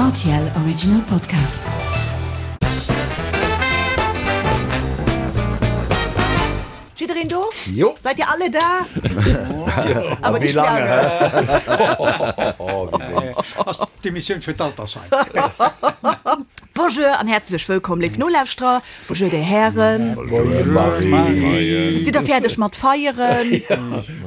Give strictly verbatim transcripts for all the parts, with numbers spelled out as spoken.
R T L Original Podcast. Jiddereen do? Jo. Seid ihr alle da? Aber nicht wéi lange? Lange. Oh, wéi léif. Ass d'Emissioun fir d'Altersheim. Bonjour an häerzlech wëllkomm, léif Nolauschterer. Bonjour, dir Hären. Moie Marie. Sidd der fäerdeg mat feieren?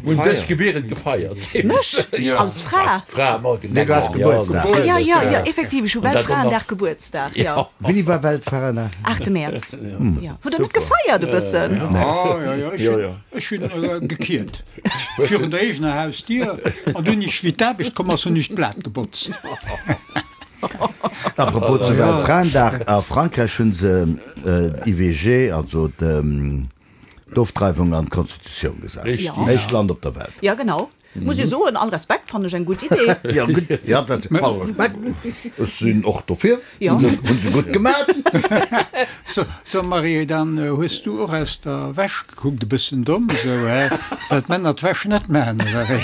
Hunn dech gebierend gefeiert. Mech? Als Fra? Fra am Allgemengen. Nee, du has Gebuertsdag. Ah, ja, ja, ja, effektiv, ech hu Und dat och Weltfraendag nach- Gebuertsdag, ja. Wéini war Weltfraendag? Aachte Mäerz. Ja. Hutt der net gefeiert e bëssen? Ah, ja, ja, ech Ja, hunn, ja. ech hunn gekiert virun der eegener Hausdier an dunn ech wéi d'Aarbecht komm ass, hunn ech d'Blat gebotzt. Apropos zu Weltfraendag, a Frankräich hunn se d'I V G, also d'Ofdreiwung, an d'Constitutioun gesat. Richtig. Ja. Éischt Land op der Welt. Ja, genau. Muss ech soen, all Respekt, fannen ech eng gutt Idee. Ja, gutt, ja, dat, all Respekt. Ech sinn och dofir. Ja. Hunn se gutt gemaat. So, so Marie, dann hues du och aus der Wäsch gekuckt, e bëssen domm esou, hä? Well d'Männer d'Wäsch net maachen, oder wéi?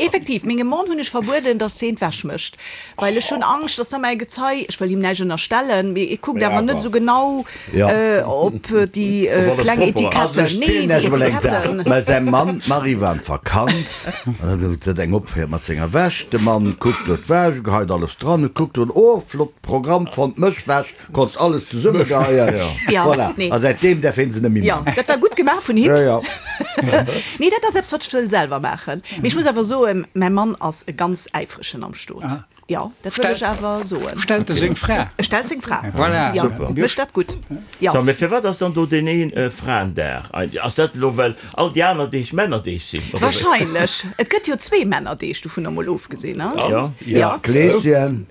Effektiv, mengem Mann hunn ech verbueden, dass hien d'Wäsch mécht, well ech hunn Angscht, dass da mäi Gezei, ech wëll him näischt ënnerstellen, mee e kuckt awer net esou genau Ja. op déi kleng Also Etiketten. ech Nee, zielen déi Iech emol eng Saach. Etiketten. Mä säi Mann, d'Marie war an d'Vakanz an da huet se eng opféiert mat senger Wäsch. De Mann kuckt do d'Wäsch, geheit alles dran, e kuckt do, oh, flott Programm fonnt, Mëschwäsch, konns alles zesummegeheien. Ja, Voilà. nee. A säitdeem däerf hien se net méi Ja, man. dat war gutt gemaach vun him. Ja, ja. Nee, dat ass eppes, wat ech wëll selwer maachen. Mee ech muss awer soen, mäi Mann ass e ganz äifregen am Stot. Jo, dat wëll ech awer soen. Stellt e seng Fra? E stellt seng Fra. Voilà. Ja, Super. mécht dat gutt. Ja. So, mee firwat ass dann do deen een Fraendag? Ass dat elo well all déi aner Deeg Männerdeeg sinn, oder wéi? Wahrscheinlech. Et gëtt jo zwee Männerdeeg, dovunner mol ofgesinn, ne? Ja. Ja. Kleeschen.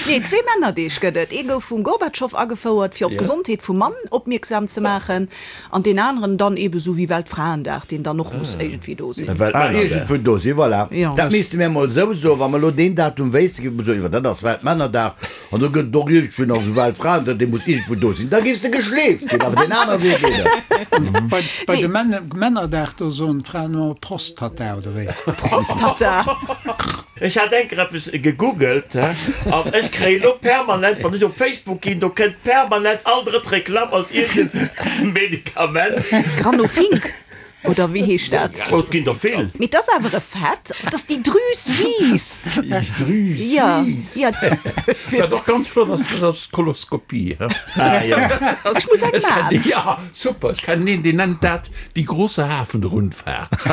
Nee, zwee Männerdeeg gëtt et. Ee gouf vum Gorbatschow agefouert, fir op d'Gesondheet vum Mann opmierksam ze maachen, an deen aneren dann eebe sou wéi Weltfraendag, deen dann och muss iergendwéi do sinn. Ah, Weltmännerdag. iergendwou do sinn, voilà. Ja. Dat misste mir emol esou soen, wa mer elo deen Datum wéissten, géife mer soen, iwwer dat ass Weltmännerdag an do gëtt et och iergendwou nach esou Weltfraendag, dee muss iergendwou do sinn. Da géifs de geschleeft ginn, awer deen anere Wee geet net. Bei, bei de Männer, Männerdag, do soen d'Fraen ëmmer Prostata, oder wéi? Prostata! Ech hat enker eppes gegoogelt, he, an ech kréien elo permanent, wann ech op Facebook ginn, do kënnt permanent all drëtt Reklamm als iergend Medikament. Granofink, oder wéi heescht dat? Oh, et ginn der vill. Mee et ass awer e Fait, dass déi Drüs wiisst. Déi Drüs Ja, wiisst. ja. Wat och ganz flott ass, dat ass d'Koloskopie, he. Ah, jo. Ech muss eng Ech man. kennen, ja, super, ech kennen een, deen nennt dat die große Hafenrundfahrt.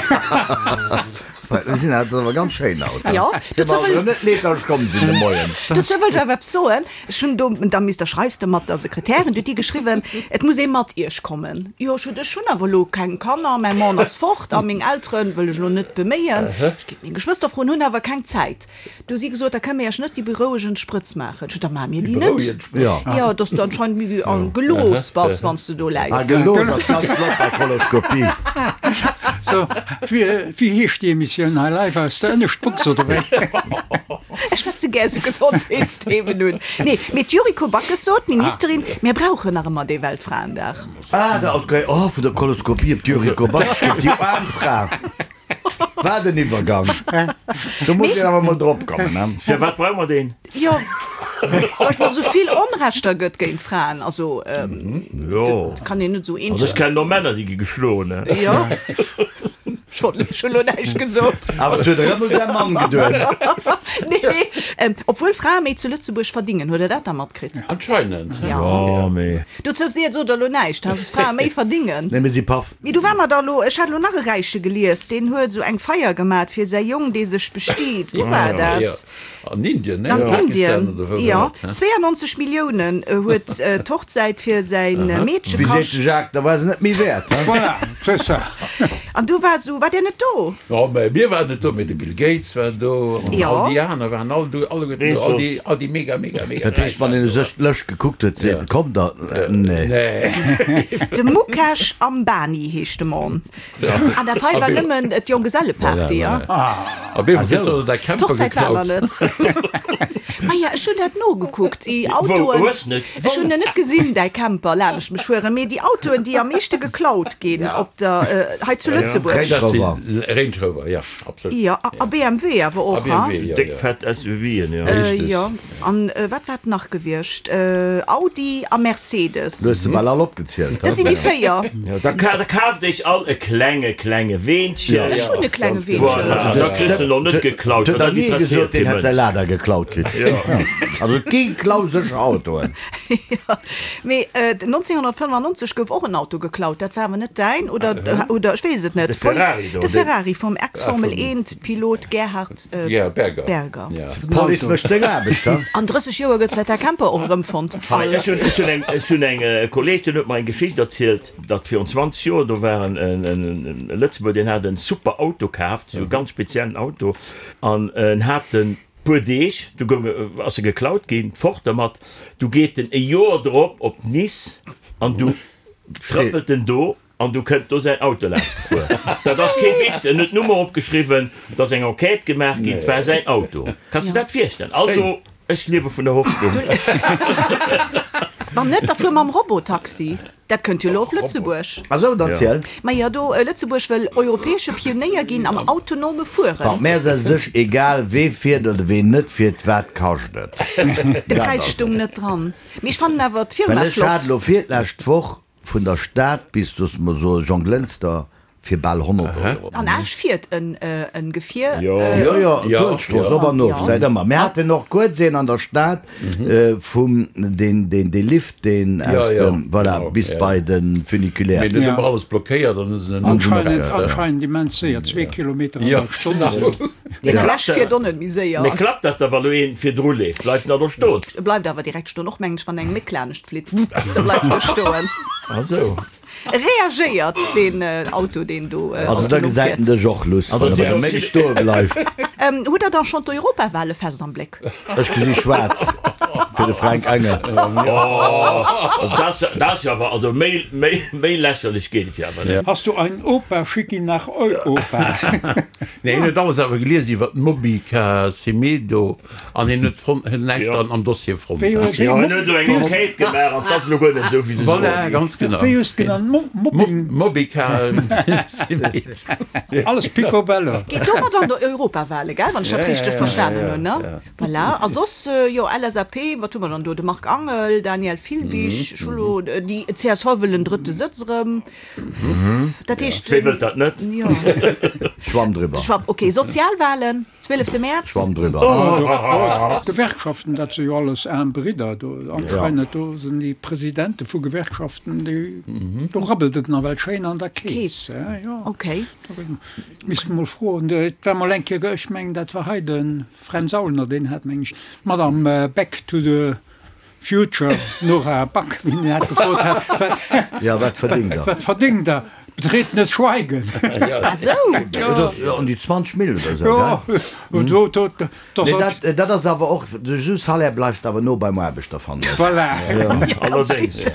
Mir sinn dat awer ganz schéin haut. Ja, Dozou dozou wëll- net leed, dass ech komm sinn de Moien. Dozou wëll ech awer eppes soen. Ech hunn do, da misst der schreifs de mat der Sekretärin, du huet déi geschriwwen, et muss ee mat iech kommen. Jo, ech hunn, ech hunn awer elo keng Kanner, mäi Mann ass fort a meng Eltere wëll ech elo net beméien. Ech géif meng Geschwëster froen, hunn awer keng Zäit. Du hu si gesot, da kënne mir iech net déi berouegend Sprëtz maachen. Ech hunn, da maache mir déi net. Berouegend Sprëtz. Ja. Ja, dass du anscheinend méi an gelos bass, wann s du do Ah, läis. gelos ass ganz flott bei Koloskopie. So, wéi, wéi heescht déi Emissioun hei live aus der Ënneschtbox, oder wéi? Ech schwätze gär sou Gesondheetsthemen un. Nee, mee d'Yuriko Backes sot, d'Ministerin, mir brauchen nach ëmmer dee Weltfraendag. Ah, da, okay. Oh, vun der Koloskopie op d'Yuriko Backes, déi aarm Fra. Wat en Iwwergang. Do muss een awer mol drop kommen, ne? Firwat brauche mer deen? Jo, well et nach sou vill Onrechter gëtt géint Fraen. Also, Jo. dat kann een net sou Also ech eenzeg. kennen och Männer, déi gi geschloen, ne? Jo. Ech wollt ech hunn elo näischt gesot. Awer et huet erëm u säi Mann geduet. Nee, ähm, obwuel Frae méi zu Lëtzebuerg verdingen, huet Der dat da matkritt? Anscheinend. Ja. Oh, mee. Dozou seet sot der elo näischt, dass Frae méi verdingen. Nee, mir si paff. Mee du war mer da lo, ech hat lo nach e Räiche gelies, deen huet sou eng Feier gemat fir säi Jong, dee sech bestiet. Wou war Ja. dat? An Indien, ne? An Pakistan Indien, oder wou ja. war dat, hä? zweiundneunzeg Milliounen huet d'Hochzäit fir säin Meedche Wéi seet de kascht. Jacques, da war se net méi wäert, hä? Voilà, c'est ça. An du war sou, war där net do? Jo, mä mir waren net do, mä de Bill Gates war do an Ja. all déi aner waren all do, alleguerten do, all déi, all déi mega, mega, mega Dat heescht, Räich wann waren een u do. sech d'Lëscht gekuckt huet, seet en, komm da, nee. Nee. De Mukesh Ambani heescht de Mann. An dat hei war nëmmen d'Jonggeselleparty, ja? A wéi Ah, sou. huet der Camper D'Hochzäit war nach geklaut? net. Maja, ech hunn dat nogekuckt, déi Autoen. Wou, hues net? Ech hunn en net gesinn, däi Camper, laanescht mech fueren, mee déi Autoen, déi am meeschte geklaut ginn op der, hei zu Lëtzebuerg. Range Dat si Rover. Range Rover, ja, absolut. Jo, a B M W awer A och, ha? B M W, jo, Déck jo. fett S U V'en, jo. Richtig. Jo, an wat war et nach gewiescht? Audi a Mercedes. Du hues se bal all opgezielt, Dat sinn déi véier. Jo, da ka, da kaaft iech all e klenge, klenge Weenchen. Ech hunn e klenge Ganz Weenchen. Voilà, da kriss de noch net geklaut, Huet well nach dat ni gesot, interesséiert deen kee hätt säi Mënsch. Lada geklaut kritt. Also et gi klausécher Autoen. Jo, mee neunzehnhundertfënnefannonzeg gouf och en Auto geklaut. Dat war awer net däin, oder, oder ech weess et net. De Ferrari do, De deen- Ferrari vum Ex-Formel eent Pilot Gerhard Gerhard Berger. Berger. Ja. D'Police mécht seng Aarbecht, ha? An drësseg Joer gëtt vläicht der Camper och erëmfonnt. Hei, ech hunn, ech hunn eng, ech hunn eng Kolleg, deen huet mer eng Geschicht erzielt, datt virun zwanzeg Joer, do war en, en, en, en Lëtzebuerger, deen hat en super Auto kaaft, esou e ganz speziellen Auto, an en hat en puer Deeg, du goung, ass e geklaut ginn, fort dermat, du geet en e Joer drop op Nice an du trëppelt en do an du kënnt do säin Auto laanscht gefuer. Dat ass kee Witz, en huet d'Nummer opgeschriwwen, et ass eng Enquête gemaach ginn, et war säin Auto. Kanns de dat virstellen? Also, ech liewe vun der Hoffnung. Wann net, da fuer mam Robotaxi. Dat kënnt jo elo op Lëtzebuerg. Ah sou, dann ziel. Majo, do, Lëtzebuerg wëll europäesche Pionéier ginn am autonome Fueren. Bon, mär ass sech egal, wee fiert oder ween net fiert, wat kascht et? De Präis stoung net dran. Mee ech fannen awer d'Firma Well ech hat flott. elo virlescht Woch vun der Stad bis, loosse mer soen, Jonglënster fir bal honnert Euro. An Esch fiert en en Gefier. Jo. Jo, jo, Ja, d'Uelzechtstrooss ja. op an of, Ja. säit ëmmer. Mir haten och kuerz een an der Stad vum, deen, deen, dee Lift, deen Ja, aus ja, dem, voilà, genau, bis ja. bei de Funiculaire. Mee dat Ja. hu mer alles blockéiert an hu se en Anscheinend, umgebaut. anscheinend immens séier, zwee Kilometer an Ja, der Stonn. genau. Den klappt Esch fiert och net méi séier. Mee klappt dat da, wa lo een virdru leeft? Bleift en da do stoen? E bleift awer direkt stoen, och mengen ech, wann eng Méck laanescht flitt, da bleift e stoen. Ah sou. Reagéiert deen Auto, deen do Also da autonom gesäit en fiert. dech och luss, wann e bei der Méck stoe bleift. Hutt der dann schonn d'Europawale fest am Bléck? Ech gesi schwaarz fir de Fränk Engel. Dat ass jo awer, also méi, méi, méi lächerlech geet et jo awer net. Hast du einen Opa, schick ihn nach Europa. Nee, hien huet alles awer gelies iwwer d'Mobica Semedo an hien huet fonnt, huet näischt Ja. an am Dossier fonnt. Wéi huet Jo, hien huet elo eng Enquête gemaach an 't ass elo guer net esou, wéi se Voilà, soen. ganz genau. Wéi hues de genannt? Mo Mobbing? Mobica Semedo. Alles picobello. Geet domat an der Europawale, gell, wann ech dat Ja, richteg ja, ja, verstanen ja, hunn, ne? ja. Voilà. A soss, jo, L S A P, wat hu mer dann do? De Marc Angel, Daniel Filbig, ech hu lo, déi C S V wëll en drëtte Sëtz erëm. Dat heescht, Wee wëllt dat net? Jo. Schwamm driwwer. Schwamm, ok. Sozialwalen, zwielefte Mäerz. Schwamm driwwer. D'Gewerkschaften, dat si jo alles aarm Bridder. Do anscheinend, do sinn déi Presidente vu Gewerkschaften, déi, do rabbelt et nawell schéin an der Keess. Keess. Jo. Ok. Misst mol froen. Et war mol eng Kéier, ech mengen, dat war hei de Fränz Aulner, deen hat, meng ech, d'Madame Back to the Future, Nora Back, wéi en hat gefrot hat, wat, Ja, wat verdéngt Der? wat verdéngt Der? Betretenes Schweigen. Ah sou. Dat ass an déi zwanzeg Mille oder esou, Jo, gell? und do, do, do, Nee, dat, dat ass awer och, de esou Salaire bleifs de awer no beim Aarbechter fannen. Voilà. Allerdéngs.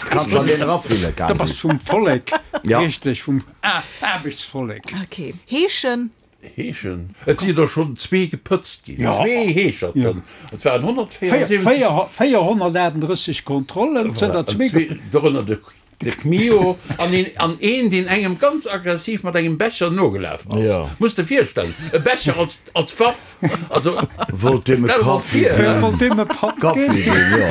Kanns an deen erafille, Da bass quasi. vum Vollek, Ja. richteg, vum Aarbechtsvollek. Ok. Heeschen. Heeschen. Et si der schonn zwee gepëtzt ginn. Ja. Zwee Heescherten. Et waren honnertvéierundsiwwenzeg. véierhonnertaachtenddrësseg Kontrollen, et sinn der An zwee zwee, dorënner de, de Kmio an een, an een, deen engem ganz aggressiv mat engem Becher nogelaf ass. Ja. Muss de virstellen. E Becher als, als Waff. Also, Wollt deem e stell mer Kaffi vir. ginn. Wollt deem e Patt Kaffi ginn. ginn, jo.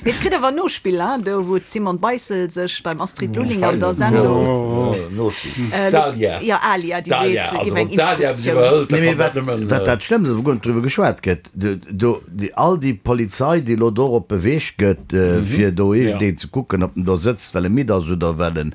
Mee et kritt awer Nospill, hein, do wou d'Simone Beissel sech beim Astrid Lulling an der Sendung. Nospill. Dalia. Jo, Alia, déi Dalia, seet, also géif eng wann d'Dalia Instruktioun. iwwerhëlt, da Nee, mee kann wat, dat nëmmen, wat dat Schlëmmst ass, wou guer net driwwer geschwat gëtt, do, do, déi, all déi Polizei, déi elo do op beweegt gëtt, äh, fir do iergendeen ze kucken, ob en do sëtzt, well e midd ass oder well en,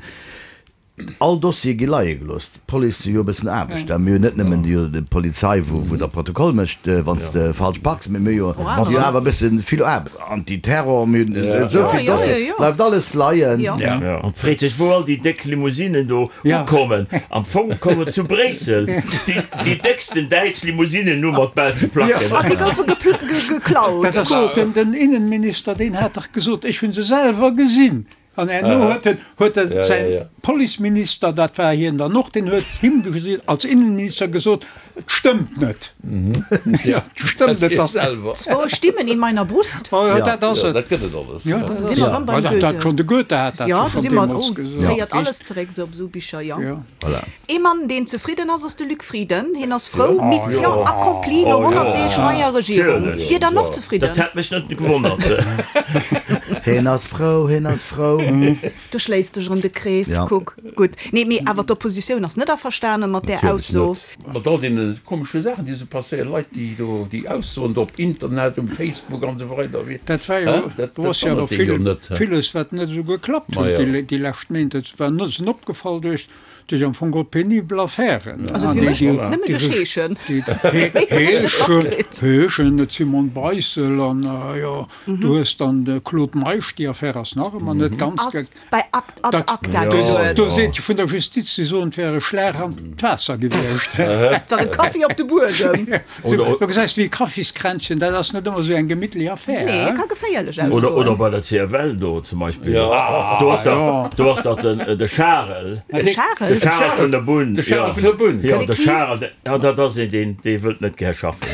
all Dossiere gi leie gelooss. D'Police hu jo e bëssen Aarbecht, a mir hunn net nëmmen déi déi Polizei, wou, wou der Protokoll mécht, wann s de falsch parks, mee mir hu jo Wow. jo awer e bëssen vill Aarbecht. Antiterror, mir hunn esou vill Ja, ja, Dossiere, ja, ja. bleift alles leien. Ja. Ja. An freet sech, wou all déi déck Limousinen do Ja. ukommen. Am Fong kommen zu Bréissel déi, déi décksten däitsch Limousinen nur mat belsche Placken. A si goufe gepl ge geklaut. Dat ass den, den Innenminister, deen hat dach gesot, ech hunn se selwer gesinn. An herno huet en, huet en Ja, säin ja, ja. Policeminister, dat war hien dann och, deen huet him gesot, als Innenminister gesot, et stëmmt net. Ja, et stëmmt net, dass. Selwer. Zwei Stimmen in meiner Brust. Oh ja, dat ass Ja, et. dat gëtt et alles. Ja, dat Sinn mer erëm beim dat, Goethe. dat schonn de Goethe hat dat Ja, jo do schonn si mer, deemools oh, gesot. féiert alles zeréck esou op esou Bicher, jo. Ja. Voilà. Ee Mann, deen zefridden ass, ass de Luc Frieden. Hien ass frou, Mission accomplie no honnert Deeg neier Regierung. Natierlech. Dir dann och zefridden? Dat hätt mech net gewonnert. Hien ass frou, hien ass frou. Du schléisst dech erëm de Krees, Ja. kuck. Gutt. Nee, mee awer d'Oppositioun ass net averstane mat där Natierlech Ausso. net. Mat all deene komesche Saachen, déi esou passéieren, Leit, déi do, déi Aussoen do op Internet, um Facebook an esou weider, wéi, Dat war jo, Hä? Dat, do dat ass jo wonnert och een jo vill, net, hä? villes, wat net esou geklappt Ma huet ja. déi, déi lescht Méint. Et war net sinn opgefall duerch, duerch am Fong och penibel Affären. Also Ah, fir déi, mech déi, nëmmen déi duerch sech, Heeschen. déi, Méi hunn ech net Heeschen, matkritt. Heeschen, et Simone Beissel an, jo, du hues dann de Claude Meisch, déi Affär ass nach ëmmer net ganz Ass ge, bei Akt, ad dat, acta do, geluet. do seet vun der Justiz, déi soen, et wär e Schlag an d'Waasser gewiescht. Et war e Kaffi op de Buedem. So, du gesäis wéi e Kaffiskränzchen, dat ass net ëmmer esou eng gemittlech Affär, Nee, hä? ka geféierlech Oder, oder ausgoen. bei der C F L do zum Beispill. Ja. Do ass dat, do ass dat den, de Charel. De Charel? De Charel vun der Bunn. De Charel ja. vun der Bunn. Ja, C'est de qui? Charel, de, ja, dat ass een, deen, dee wëllt net gär schaffen.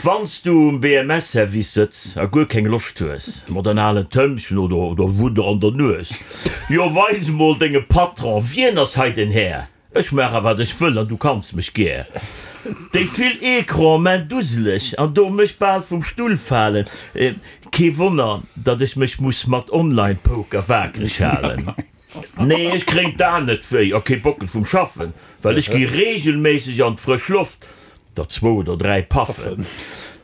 Wanns du um B M S-Service sëtz a guer keng Loscht hues, mat en alen Tëmmchen oder, oder Wudder an der Nues, jo weis mol denge Patron, wien ass hei den Här? Ech maache wat ech wëll an du kanns mech gär. Déi vill Ecran man duseleg an do mech bal vum Stull falen. Äh, kee Wonner, datt ech mech muss mat Online-Poker waakreg halen. Nee, ech kréint da net wéi a kee Bockel vum Schaffen, well ech gi regelméisseg an d'frësch Loft, der zwou oder dräi Paffen.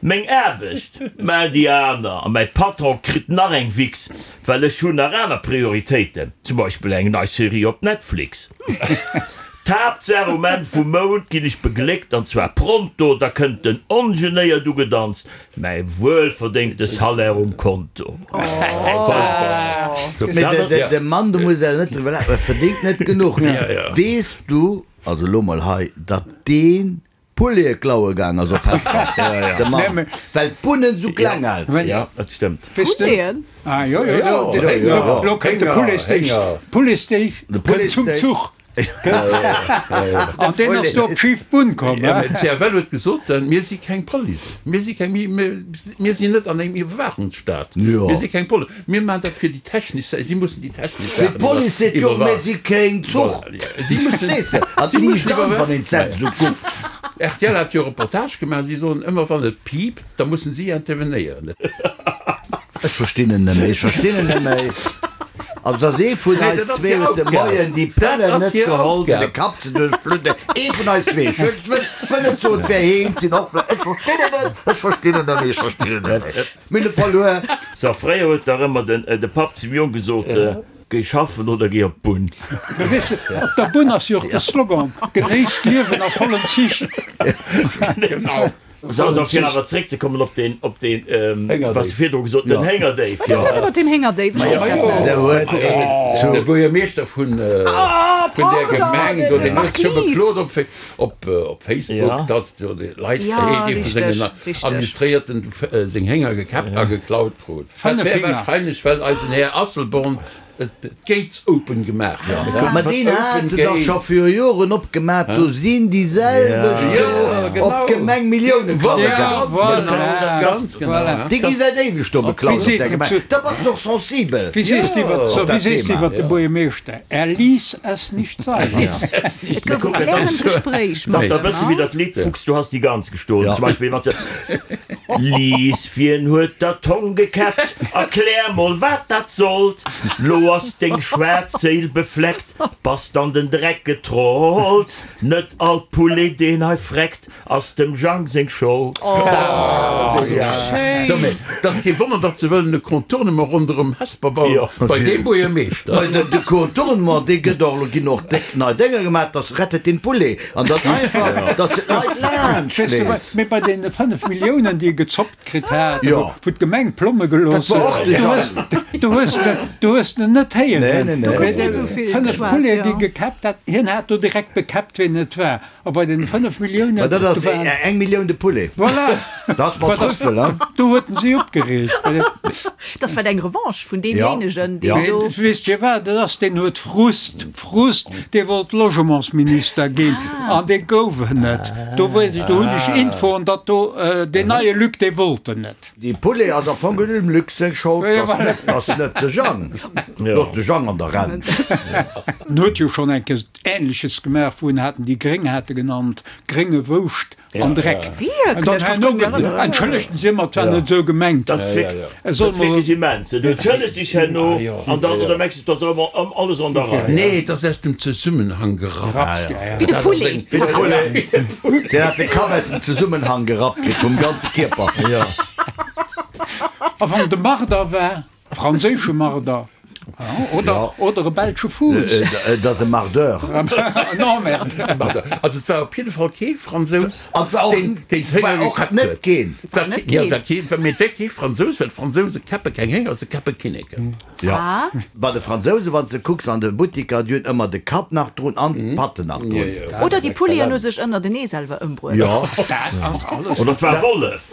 Meng Aarbecht, mä déi aner, a mäi Patron kritt nach eng Wichs, well ech hunn nach aner Prioritéiten, zum Beispill eng nei Serie op Netflix. D'Haaptsaach um Enn vum Mount ginn ech begléckt, an zwar pronto, da kënnt den ongenéiert ugedanzt, mäi wuelverdéngte Salaire um Konto. Mee de, de, de Mann, do muss er net drüber lachen, verdéngt net genuch. Weess du, also lo mol hei, datt deen Poulet klaue gaang ass op Hesper, de Mann, Nee, well d'Bunnen sou kleng halt. Ja, dat stëmmt. Weess du? Poulet'en? Ah, jo, jo, Ja, do, do, Hénger, do, lo kënnt de Hénger, Pouletsteak, Hénger. Pouletsteak De kënnt zum Pouletsteak. Zuch. An deen ass do op d'schif Bunn komm, Ja, hä? mä C F L huet gesot, mir si keng Police, mir si keng, mir, mir, mir sinn net an engem Iwwerwaachungsstaat, Ja. mir si keng Police, mir maachen dat fir déi technesch Sa-, si mussen déi technesch Fir Saachen d'Police seet jo, iwwerwaachen. mir si keng Zuch. Voilà, ja. Si mussen, Verstees de? An si d'liicht mussen an, wann iwwerwaachen. een d'Sätz esou kuckt. R T L hat jo Reportage gemaach, si soen ëmmer, wann et piept, da mussen si intervenéieren. Ech verstinn en net méi, ech verstinn en net méi. Also dass ee vun Nee, eis dat ass zwee hir huet de Aufgab. Moien déi Dat Pëllen ass net hir geholl, fir de Aufgab. Kapp ze duerchbludden. Ee vun eis zwee. Ech wëll, ech wëll net soen, et wär heen, sinn och vläicht. Ech verstinn en net, ech verstinn en net méi, ech verstinn en net méi. Mir hunn e verluer. So, fréier huet dach ëmmer den, de Papp zum Jong gesot, Géi schaffen oder géi op d'Bunn. Mee weess de, op der Bunn ass jo och de Slogan, Genéisst d'Liewen a vollen Zich. Genau. So, also fir awer zréckzekommen op den, op den, ähm, Héngerdéif. was du virdru gesot, den Héngerdéif, Wat ass dat ja. mat deem Héngerdéif? Ech weess dat jo. net. Der huet een zu. De Buergermeeschter vun, äh, Ah, vun der pardon, Gemeng, de- do, de deen huet scho Marquis. beklot op Fa-, op, äh, op Facebook, Ja. dass do déi Leit, Ja, ee vu richtig, sengen richtig. Administréierten, äh, seng Hénger gekäppt a geklaut krut. Dat Fënnef wär Hénger. wahrscheinlech, well eisen Här Asselborn d'Gates open gemaach huet. Ma deen hat Open se dach Gates. scho fir Joren opgemaach, do sinn déi selwecht Ja, do genau. op d'Gemeng Millioune klaue Voilà, gaang. ganz genau, ganz genau. Voilà. Déi gi säit éiweg do beklaut op der Gemeng. Da bass du doch sensibel. Wie sees du iwwer, so, Op wie dat sees du Thema. iwwer de Buergermeeschter? Er ließ es nicht sein. Et gouf e klärend Gespréich Das mat ist da em, bësse ne? wéi dat Lied Fuchs, du hast die Gans gestohlen. Ja. Zum Beispiel mat se Lies, wien huet dat Hong gekäppt? Erklär mol, wat dat sollt. Lo ass deng schwaarz Séil befleckt, bass an den Dreck getrollt. Net all Poulet, deen hei freckt, ass dem Jang seng Schold. Oh, Ja. schéin. So, mee, dat ass kee Wonner, datt se wëllen e Contournement ronderëm Hesper bauen, Ja. bei deem Buergermeeschter. Bei de, de Contournement, dee gëtt och, lo ginn och déck nei Dénger gemaach, das rettet den Poulet. An dat einfach, dass de d'Leit laanscht Weess du, léisst. mee bei den fënnef Milliounen, déi e gezoppt kritt hat, Ja. wou wou d'Gemeng Plomme gelooss Dat war och huet, de du Jang. hues, du hues, du hues en net héieren. Nee, nee, nee. Do gouf net sou vill Fënnef geschwat, Poulet, ja. déi gekäppt hat, hien hat do direkt bekäppt, wien et war. A bei den fënnef Milliounen, Ma dat ass do waren- eng Millioun de Poulet. Voilà. Dat ass mat Trüffel, hein? Do huet en si opgereegt. Bei de- Dat war eng Revanche vun deemjéinegen, deen do. Weess Dir wat dat ass? Deen huet Frust, Frust, dee wollt Logementsminister ginn an dee gouf en net. Do weess ech, do hunn ech Infoen, datt do deen neie Luc, dee wollt en net. Dee Poulet ass am Fong dem Luc seng Schold, dat ass net, dat ass net de Jang. Looss de Jang an der Renn. En huet jo schonn eng Kéier Ähnleches gemaach, wou en haten déi Gréng hate genannt, grénge Wouscht an Dreck. Wierklech? Ech kann mech net erënneren. Entschëllegt si mer, et war net esou gemengt. Dat ass wierklech immens. Du entschëllegs dech herno an dann, oder mengs du, et ass ëmmer alles an der Rei? Nee, et ass aus dem Zesummenhang gerappt. Wéi de Poulet zerrappt. Deen hat de Kapp aus dem Zesummenhang gerappt kritt, vum ganze Kierper. A wann de Marder war, franséische Marder, oder, oder e belsche Fuuss. Et ass e Mardeur. En Emmerdeur. Also et war op jidde Fall kee Fransous, An et war och, deen deen d'Hénger war och gekäppt net huet. keen. War net keen. Ja, war keen, mee et war kee Fransous, well d'Fransouse käppe keng Hénger, se käppe Kinneken. Ja. Bei de Fransouse, wann s de kucks an de Buttiker, déi hunn ëmmer de Kapp nach drun an d'Patten nach drun. Oder déi Pouleten hu sech ënnertenee selwer ëmbruet. Jo. Dat ass alles. Oder et war Wollef.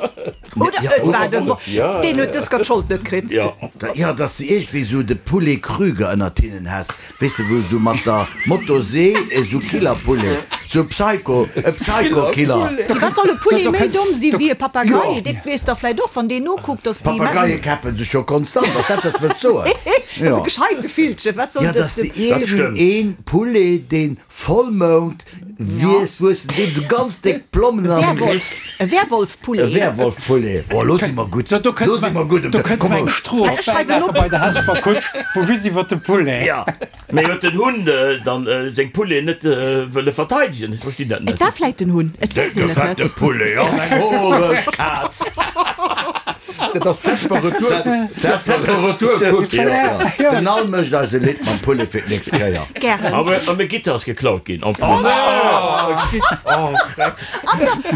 Oder et war de Wollef. Deen huet dës Kéier d'Schold net kritt. Jo, dass de iergendwéi esou de Poulet Krüger ënnert hinnen häss, weess de, wou esou mat der Motosee esou Killerpoulet, esou Psycho, e Psycho-Killer. Firwat soll e Poulet méi domm si wéi e Papagei? Dat weess der vläit och, wann deen nokuckt, dass déi. Papageie käppe sech jo konstant, ass dat, wat s wëlls soen? Dat ass e gescheite Villchen, wat soll Jo, dat? dass de iergendeen Poulet, deen Vollmound wiess, wuessen deem sou ganz déck Plommen an de Werwolf, e Werwolf-Poulet. E Werwolf-Poulet. Oh, lo si mer gutt. Do kënnt Lo si mer gutt. Do kënnt Komm, eng Strooss Ech schreiwen op. bei der Hesper Kutsch, wou just iwwer de Poulet. Ja. Mee huet den Hunn dann seng Poulet net wëlle verteidegen? Ech verstinn dat net. Et war vläit den Hunn, et weess een et Décke fette net. Poulet an eng horeg Kaz. Dat ass d'Hesper Retour, dat ass d'Hesper Retourkutsch. Ja. Den Al mécht eis e Lidd mam Poulet fir d'nächst Kéier. Gären. A meng Gitter ass geklaut ginn en plus. An der,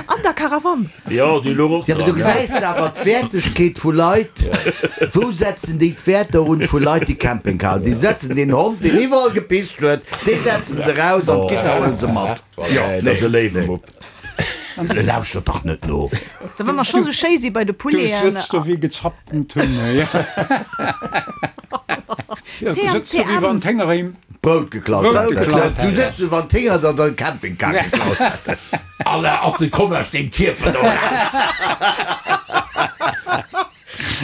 an der Karawann. Jo, déi louch och Ja, mee du dran. gesäis awer d'Wäertegkeet vu Leit. Wou setzen déi d'Wäerter un vu Leit, déi Campingcar hunn? Déi setzen deen Hond, deen iwwerall gepisst huet, dee setzen se eraus an d'Gitter huelen se mat. Jo, dat ass e léiwe Mupp. Lauschtert dach net no. So, wa mer scho sou schéi si bei de Du Pouleten. sëtz do wéi gezappten Tunne. Ja, du sëtz do wéi wann d'Hénger him Brout geklaut Brout hätten. geklaut Du hätten. sëtz sou wann d'Hénger der den Campingcar geklaut hätten. Alle Atte, komm aus deem Kierper do raus!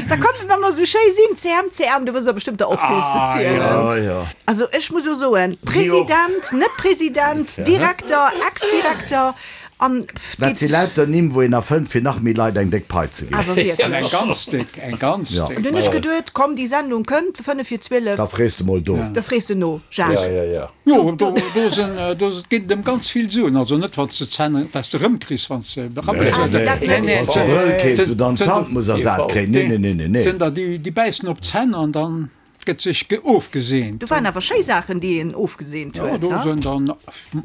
Da komm, wa mer sou schéi sinn, C M C M, du wëss der bestëmmt der och vill ze zielen. Ja, ja. Also ech muss jo soen, President, net President, Direkter, Ex-Direkter an pff, Dat si geet lauter Nimm, wou een erfënnt, fir nach méi Leit eng déck Pai ze ginn. awer Eng wierklech. ganz déck, eng ganz Ja. déck. An dunn ech geduet, komm, déi Sendung kënnt, fënnef vir zwielef, Da frees de mol do. da frees de no, Jacques. Ja, ja, ja. Jo, do, do sinn, do ginn et ëm ganz vill Suen. Also net, wann s de d'Zänn, wat s de erëmkriss, wann s de berabbelt Ah, hues. dat net. Nee, Wann s de Brëll keefs, wou dann d'Zant muss ersat kréien. Nee, nee, nee, nee, nee. Sinn der, déi, déi bäissen op d'Zänn an dann gëtt sech ge ofgeseent. Do waren awer schéi Saachen, déi een ofgeseent Jo, huet, do ha? sinn dann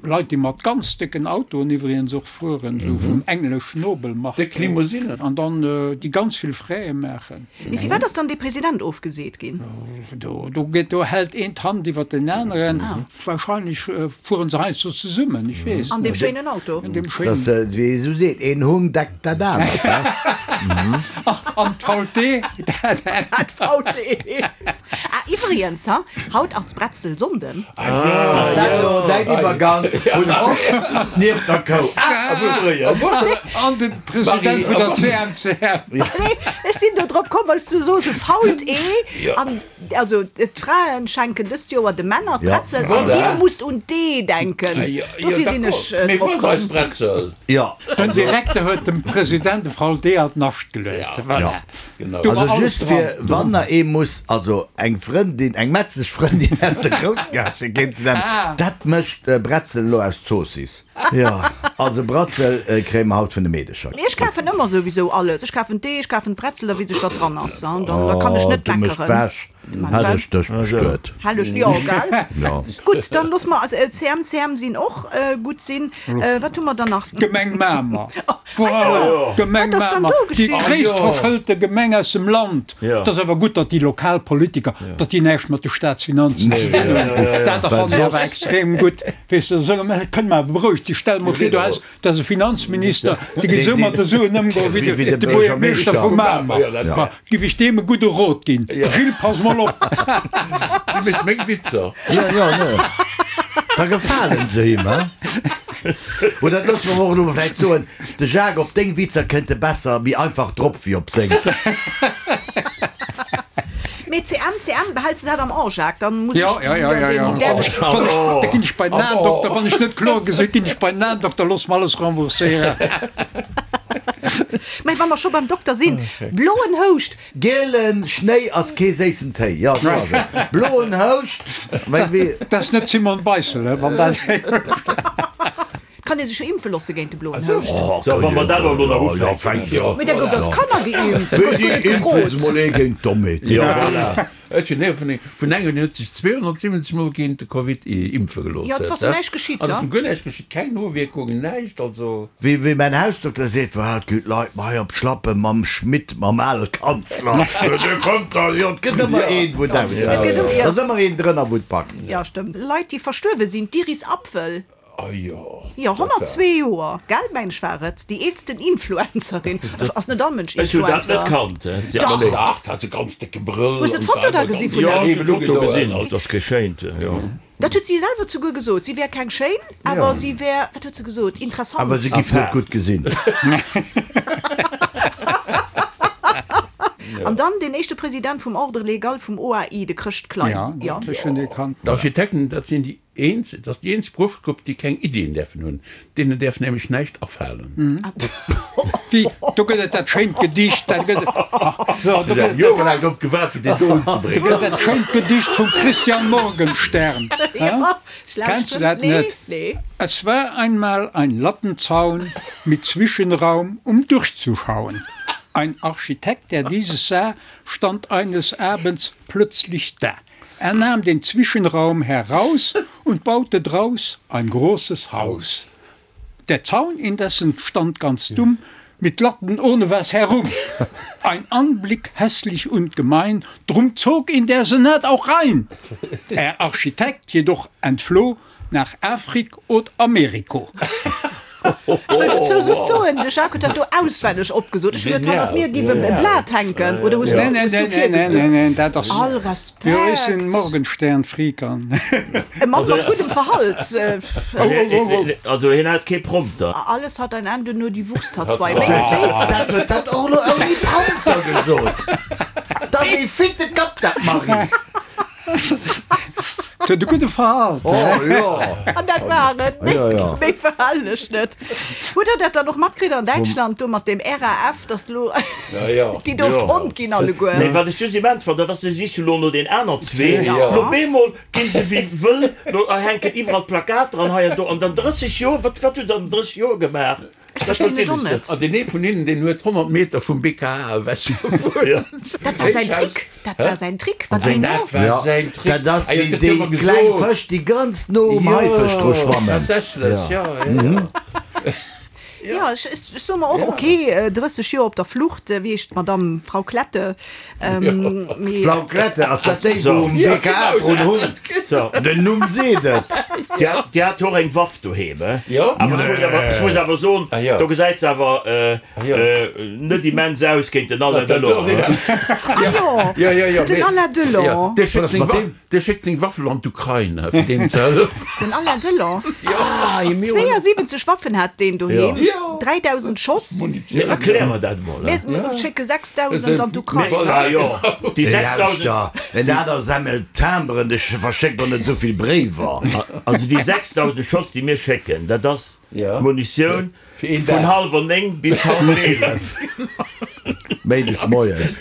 Leit, déi mat ganz décken Autoen iwwregens och fueren, esou vum englesch Nobelmark. Déck Limousinen. An dann déi ganz vill Fräe maachen. Mee firwat ass dann dee President ofgeseet ginn? Do, do gëtt, do hält een d'Hand iwwer den aneren. Wahrscheinlech fueren se heiansdo zesummen, ech weess An deem net. schéinen Auto. An deem Dat schéinen. ass, wéi ee sou seet, een Hung deckt dat anert, he? An d'V T, dat. Dat V T. Ah, iwwregens, ha, haut ass Bretzelsonnden. Ass dat elo däin Iwwergang vun Ochs nieft der Kou? Ah, An de President vun der C M C M. Nee, ech sinn do drop komm, well s du soos, e fault Ee. An also d'Fraen schenken dëst Joer de Männer d'Bretzel an dir musst un d'Ee denken. Dofir sinn ech Mee drop wou ass eis komm. Bretzel? Jo. Den Direkter huet dem President e fault Ee an d'Nascht geluecht. Voilà. Genau. Do war Also alles just fir, dran. wann der ee muss, also eng Frëndin, eng metzeg Frëndin aus der Groussgaass fir kéint ze nennen, dat mécht Bretzel elo aus Zoossiss. Jo, also Bratzel kréie mer haut vun de Meedecher. Mee ech kafen ëmmer souwisou alles. Ech kafen d'Ee, ech kafen d'Bretzel, da weess ech wat dran ass. An dann da kann ech Oh, net du méchs meckeren. d'Wäsch. Hätt ech dech bestuet. Helleg, jo, gell? Jo. Gutt, dann loosse mer C M C M sinn och gutt sinn. Wat hu mer dann nach? D'Gemeng Mamer. Ah jo! Voilà, d'Gemeng Wat ass dann Mamer, do déi geschitt? gréisst verschëlte Gemeng aus dem Land. Jo. Et ass awer gutt, datt déi lokal Politiker, datt déi näischt mat de Staatsfinanzen ze dinn hunn. Dat fannen ech awer extrem gutt. Weess de, solle mer, kënne mer awer berouegt sinn. Stell mol vir, du häss, dat ass e Finanzminister, dee géif esou mat de Suen ëmgoen wéi Wéi de de Buergermeeschter vu Buergermeeschter. Mamer. Ma giff ech deem e gudde Rot ginn, Gilles, pass mol op! Dee mécht meng Witzer. Jo, jo, ne. Da gefalen se him, he? Oder dat loosse mer och elo vläicht soen, de Jacques, op deng Witzer kënnt e besser, méi einfach drop wéi op seng. Mee C M, C M, behälls de dat am A, Jacques? Dann muss Ja, ech ja, ja, ja, ja. den däresch. Wann ech, da ginn ech bei den Aendokter, wann ech net kloer gesinn, ginn ech bei den Aendokter, looss mer alles rembourséieren. Mä wa mer scho beim Dokter sinn, bloen Houscht. Gielen Schnéi ass kee séissen Téi. Jo, sou ass et. Bloen Houscht, wéi, wéi. Dat ass net Simone Beissel, he, wann dat. Et kann ee sech jo impfe loosse géint de bloen Houscht. So, wa mer dat elo nach ufänken. Mee da gouf als Kanner geimpft, da gouf guer net Impfen se gefrot. mol ee géint d'Dommheet. Jo, voilà. Ech hunn héieren vun vun engem, deen huet sech zweehonnertsiwwenzeg Mol géint de Covid impfe gelooss. Jo, et ass em näischt geschitt, An et ja. ass em guer näischt geschitt, keng Nowierkungen, näischt, also. Wéi, wéi mäin Hausdokter seet, Wat, gi d'Leit mer hei op d'Schlappe mam Schmidt, mam ale Kanzler. Dee kommt da, jo, et gëtt ëmmer een, wou et Et gëtt ëmmer, aushält. ja. Et ass ëmmer een drënner, wou et packt. Ja, stëmmt. Leit, déi verstuerwe sinn, d'Iris Apfel. Ah jo. Jo, honnertzwee Joer, gell, mengen ech war et, déi eelsten Influencerin. Ech, ass net all Mënsch Ech hunn dat net Influencer. kannt. Dach. Dach, hat se ganz décke Brëll. Hues de d'Foto da gesi vun Jo, der? ech hunn d'Foto gesinn, also dat ass geschéint, jo. Dat huet si selwer zuguer gesot, si wär keng schéin, awer si wär, wat huet se gesot, interessant. Awer se giff net gutt gesinn. An dann deen éischte President vum Ordre légal vum O A I, de Chrëscht Klein. Ja, ech hunn dee kannt. D'Architekten, dat sinn déi eenzeg, dat ass déi eenzeg Beruffsgrupp, déi keng Iddien däerfen hunn. Deenen däerf nämlech näischt afalen. Wéi, do gëtt et dat schéint Gedicht, dat gëtt et, ach, so, do Ech gëtt hu et, jorelaang drop gewaart, fir deen do do unzebréngen. gëtt et dat schéint Gedicht vum Christian Morgenstern. Hä? Ja, ech Kennst du lauschteren. dat Nee, net? nee. Es war einmal ein Lattenzaun mit Zwischenraum, um durchzuschauen. Ein Architekt, der dieses sah, stand eines Abends plötzlich da. Er nahm den Zwischenraum heraus und baute draus ein großes Haus. Der Zaun indessen stand ganz dumm mit Latten ohne was herum. Ein Anblick hässlich und gemein, drum zog ihn der Senat auch rein. Er Architekt jedoch entfloh nach Afrik und Ameriko. Ech wëll dozou just soen, de Jacques huet dat do auswenneg opgesot. Ech hunn geduet, hannert mir géif e Blat hänken. Oder hues du, Nee, nee, hues du nee, nee, nee, nee, nee, dat ass. All Jo, ech Respekt. sinn Morgenstern-Freak an. E Mann mat guddem Verhalt. Oh, oh, oh, oh. Also hien hat kee Prompter. Alles hat ein Ende, nur die Wurst hat zwei. Wéi, wéi? Dat huet dat och elo ouni Prompter gesot. Dat ass ee fitte Kapp, dat Marie. Et huet e gudde Verhalt. Oh jo. An dat war et. Méi, Ja, ja. méi verhalen ech net. Hutt Der dat dann och matkritt an Däitschland do mat dem R A F, dass lo déi do fonnt ginn alleguer? Nee, wat ech just immens fannen, dat ass, se siche lo no den aner zwee. Ja. Lo bemol ginn se wéi wëll, lo hänken iwwerall Plakater an hei an do. An dann drësseg Joer, wat, wat hutt Der an drësseg Joer gemaach? Ech verstinn et och net. An deen ee vun hinnen, deen huet honnert Meter vum B K H ewech gewunnt. Dat war säin Trick. Dat war säin Trick. Wat een Dat no. war Ja, säin Trick. dat ass Ah jo, wéi et gëtt jo déi ëmmer kleng gesot. Fësch, déi ganz no um Haifësch dru schwammen. Tatsächlech, ja, ja, ja. Ja, ech, ech, ech soe mer och, okay, drësseg Joer op der Flucht, wéi heescht d'Madame, Frau Klette, ähm, mee. Frau Klette, ass dat déi, wou um Ja, B K H genau, drun hunn? So. Den Numm seet et. Déi hat, déi hat och eng Waff doheem, he? Jo. Awer ech muss awer, ech muss awer soen, Ah jo. do gesäit se awer äh, Ah jo. äh, net immens aus géint den Alain Delon, he? Ah jo, Ja, ja, ja, den mee- Alain Delon. Ja, dee schéckt ass seng mat Wa- deem? dee schéckt seng Waffel an d'Ukrain, fir deenen ze hëllefen. Den Alain Delon. Ah, mir hunn- zweeënsiwwenzeg Waffen hat deen doheem. Ja. dräidausend Schoss. Nee, erklär mer dat mol. Mir schécke sechsdausend an d'Ukrain. Ah jo, déi sechsdausend. Lauschter, en aner sammelt Timberen, de verschéckt doch net esou vill Bréiwer. Also déi sechsdausend Schoss, déi mir schécken, dat ass Ja. Munitioun Fir een vun Dag. hallwer néng bis hallwer eelef. Méindes moies.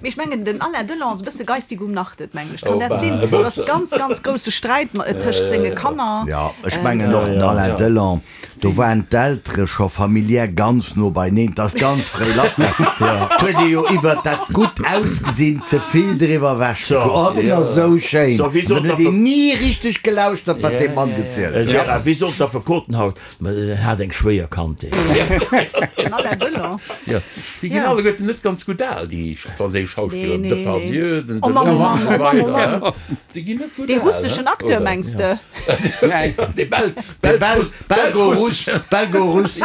Mee ech mengen, den Alain Delon ass e bësse geistig umnachtet, mengen ech. Kann Oh, dat bah, sinn? e Do ass bëssen. ganz, ganz grousse Sträit ma- tëscht senge Kanner. Ja, ech mengen och, den Alain ja. Delon, Do waren d'Eltere scho familiär ganz no beineen, 't ass ganz fréi lassgaangen. 't huet ee jo iwwert dat gutt Ausgesinn ze vill driwwer ewech gekuckt. Oh, den ass esou schéin. So, wéi An sollt dann huet der een ni richteg gelauschtert, wat dee Mann gezielt huet. Gérard, wéi sollt d'Affekoten haut, ma en hat eng schwéier Kandheet. Den Alain Delon. Jo, déi ginn alleguerten net ganz gutt al, déi franséisch Schauspiller, Nee, nee, Depardieu, nee. den Oh Mann, oh Delon Mann, an esou oh Mann, oh weider. Mann. Déi ginn net gutt Dee al, russeschen ne? Acteur, Oder? mengs de? Nee. Dee Bel, De Belsch, Bel, Belgo-Russ, Belgo-Russ.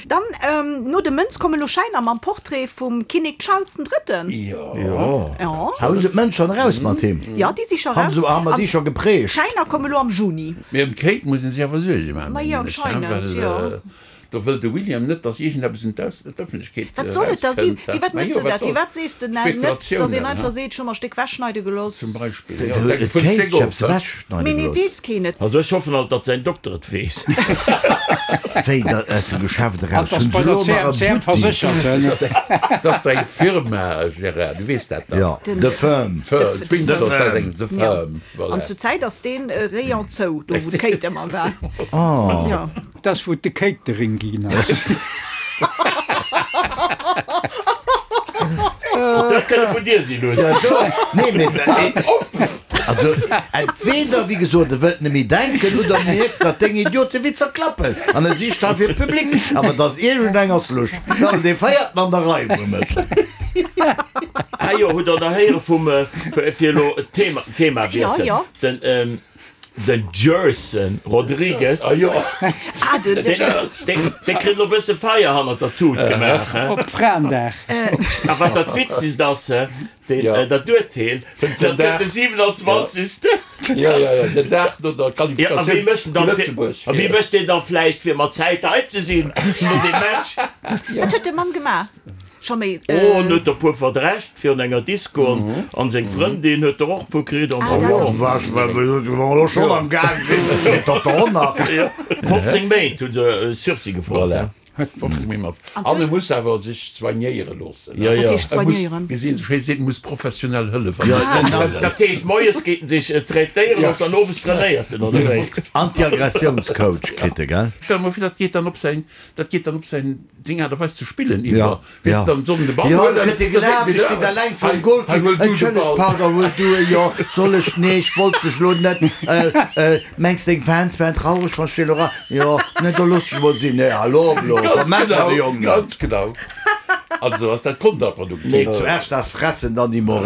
Dann, ähm, no de Mënz komme lo Schäiner mam Portrait vum Kinnek Charles den Drëtten. Jo. Jo. Ja. Hu se d'Mënz schonn eraus mat him? Ja, déi si scho Haben raus. se, haben mer déi scho geprägt? D'Schäiner komme lo am Juni. Mee ëm d'Kate muss ee sech awer Suerge maachen, Ma jo, mengen ech, hein, anscheinend, well, jo. Do wëll de William net, datt iergendeppes un d'Ëffentlechkeet Wat soll et da sinn? erauskënnt. Wéi wat Ma méchs jo, de wat dat? soll Wéi wat sees de net, net, datt een Spekulatiounen, einfach hein? seet, ech hu mer e Stéck wechschneide gelooss? Zum Beispill, jo. Et Dat vun kéint Stéck ech of, eppes hein? wechschneide Mee nee, gelooss. weess keen et. Also ech hoffen alt, datt säin Dokter et weess. Wéi dat aus dem Geschäft An eraus? dass Hunn bei se der elo nach e C M C M Buttik? verséchert. Dat ass eng Firma, Gérard, du weess dat dach. Ja, Den- The Firm. Firm, d'Windsor, The dat ass Firm. eng The Ja. Firm, voilà. An zur Zäit ass deen Rayon zou, do wou d'Kate ëmmer war. Oh. Ja. Das wou de Catering ginn ass. Dat kënne vun dir sinn, Luss. Ja, do, nee, mee, also, entweder, wéi gesot, e wëllt net méi denken oder mierkt, datt deng Idiotewitzer klappen an e sicht da fir Public. Awer dass iergendeng ass lusch. Dann dee Véierten an der Rei wou mécht. Ah jo, hutt der nach héiere vum, fir fir elo Thema, Thema Ja, wiessel. ja. Den, ähm, den Gerson Rodrigues. Ah jo. Ah, den, Deen, deen, deen kritt elo e bësse Feier hannert der Tut gemaach, hä? Op Fraendag. A wat dat Witzegst ass, hä, deen, Ja. äh, dat Urteel, dat Den gëtt Dag. den siewenundzwanzigsten. Ja, ja, ja, den Dag no der Ja, a wie Qualifikatioun mécht vu dann fir, Lëtzebuerg. a wie mécht deen dann vläicht fir mat Zäit hei ze sinn no deem Match? Wat huet de Mann gemaach? Scho méi, Oh, en huet der puer verdrescht virun enger Disco an, an seng Frëndin huet der och puer kritt an Ah, dat ass- Was, wa mer schonn am Gaang sinn, dat der och nach. fofzéng Méint hu se Sursis gefrot. Voilà. fofzéng Méint. An e muss awer sech soignéiere loossen. Ja, Dat ja. heescht E muss, soignéieren. wéi se schéi seet, muss professionell Hëllef Ja, an. Dat heescht, moies geet en sech traitéiere loossen an owes trainéiert en, oder wéi? Anti-Aggressiounscoach kritt e, gell? Stell mer vir, dat geet dann op säin, dat geet dann op säin Ding Aart a Weis ze spillen Ja, iwwer. Weess ja. de, dann soll en de Ball Jo, huelen, da kritt e da seet gelaf, en e steet wieder, alleng vum hei, Goal, hei, huel du de Entschëlleg, Ball. pardon, huel du e, jo, soll ech, nee, ech wollt dech lo net, äh, äh, mengs deng Fans wären traureg, wann ech dir lo ra, jo, nee, da looss ech mol sinn, nee, hallo, lo, Ganz vermerk mer genau, de Jong net. ganz genau. Also ass dat kontraproduktiv. Nee, zuerst das Fressen, dann die Moral.